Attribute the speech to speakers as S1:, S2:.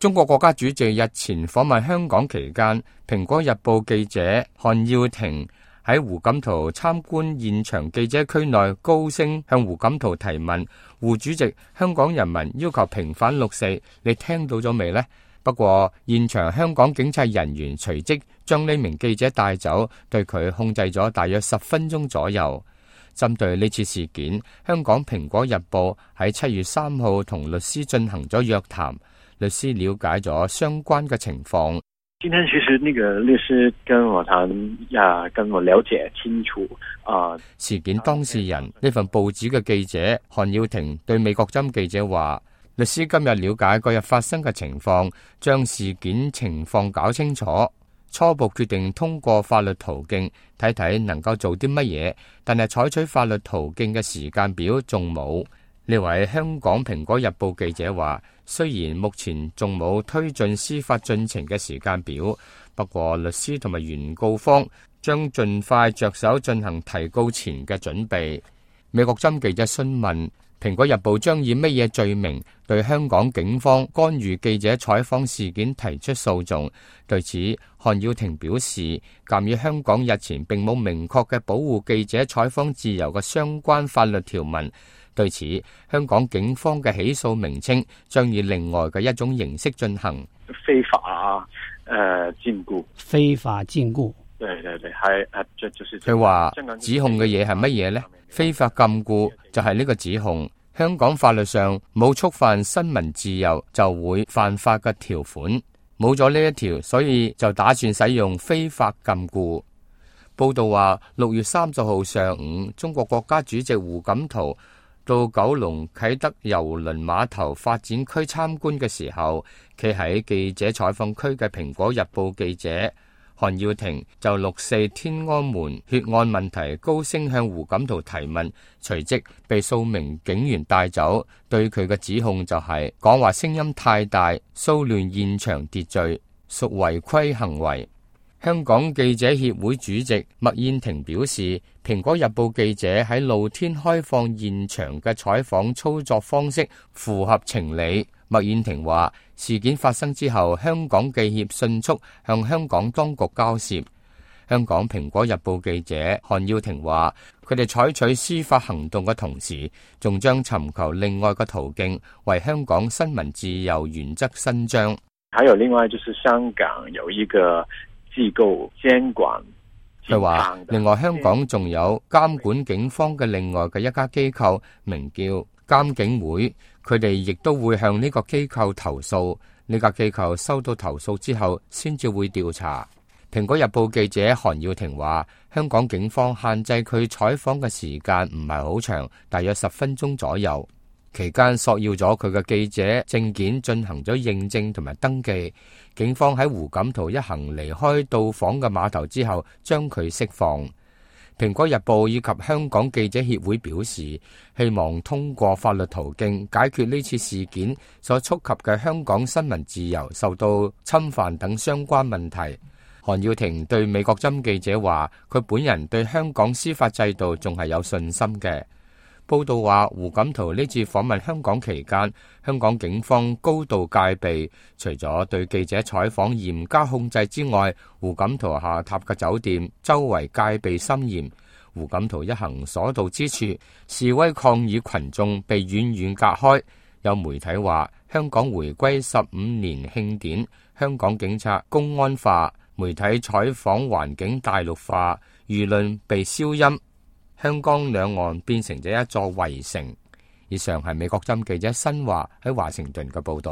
S1: 中國國家主席日前訪問香港期間，蘋果日報記者韓耀庭喺胡錦濤參觀現場記者區內高聲向胡錦濤提問：胡主席，香港人民要求平反六四，你聽到咗未呢？不過現場香港警察人員隨即將呢名記者帶走，對佢控制咗大約10分鐘左右。針對呢次事件，香港蘋果日報喺7月3號同律師進行咗約談，律師了解咗相關嘅情況。
S2: 今天其實那個律師跟我談跟我了解清楚
S1: 事件當事人呢份報紙嘅記者韓耀庭對美國針記者話，律師今日了解嗰日發生嘅情況，將事件情況搞清楚，初步決定通過法律途徑睇睇能夠做啲乜嘢，但係採取法律途徑嘅時間表仲冇。呢位香港蘋果日報記者話，雖然目前仲冇推進司法進程嘅時間表，不過律師同埋原告方將盡快着手進行提告前嘅準備。美國針記者詢問蘋果日報將以乜嘢罪名對香港警方干預記者採訪事件提出訴訟，對此韓耀庭表示，鑑於香港日前並冇明確嘅保護記者採訪自由嘅相關法律條文，對此香港警方嘅起訴名稱將以另外嘅一種形式進行。
S2: 非法禁錮，
S3: 非法禁錮，
S2: 對，係就是
S1: 佢話指控嘅嘢係乜嘢呢？非法禁錮就係呢個指控。香港法律上冇觸犯新聞自由就會犯法嘅條款，冇咗呢一條，所以就打算使用非法禁錮。報道話6月30號上午，中國國家主席胡錦濤到九龍啟德郵輪碼頭發展區參觀嘅時候，企喺記者採訪區嘅蘋果日報記者韓耀庭就6四天安門血案問題高聲向胡錦濤提問，隨即被數名警員帶走。對佢嘅指控就係講話聲音太大，騷亂現場秩序，屬違規行為。香港記者協會主席麥燕庭表示，蘋果日報記者喺露天開放現場嘅採訪操作方式符合情理。麥燕庭話，事件發生之後，香港記協迅速向香港當局交涉。香港蘋果日報記者韓耀庭話，佢哋採取司法行動嘅同時，仲將尋求另外嘅途徑，為香港新聞自由原則伸張。
S2: 還有另外就是香港有一個機構監管，
S1: 佢話另外香港仲有監管警方嘅另外嘅一家機構，名叫監警會，佢哋亦都會向呢個機構投訴。呢家機構收到投訴之後，先至會調查。蘋果日報記者韓耀庭話，香港警方限制佢採訪嘅時間唔係好長，大約10分鐘左右。期間索要咗佢嘅記者證件，進行咗認證同埋登記。警方喺胡錦濤一行離開到訪嘅碼頭之後，將佢釋放。蘋果日報以及香港記者協會表示，希望通過法律途徑解決呢次事件所觸及嘅香港新聞自由受到侵犯等相關問題。韓耀庭對美國針記者話，佢本人對香港司法制度仲係有信心嘅。報道話，胡錦濤呢次訪問香港期間，香港警方高度戒備，除咗對記者採訪嚴加控制之外，胡錦濤下榻嘅酒店周圍戒備森嚴。胡錦濤一行所到之處，示威抗議群眾被遠遠隔開。有媒體話，香港回歸15年慶典，香港警察公安化，媒體採訪環境大陸化，輿論被消音。香港兩岸變成咗一座圍城。以上係美國針記者新華喺華盛頓嘅報道。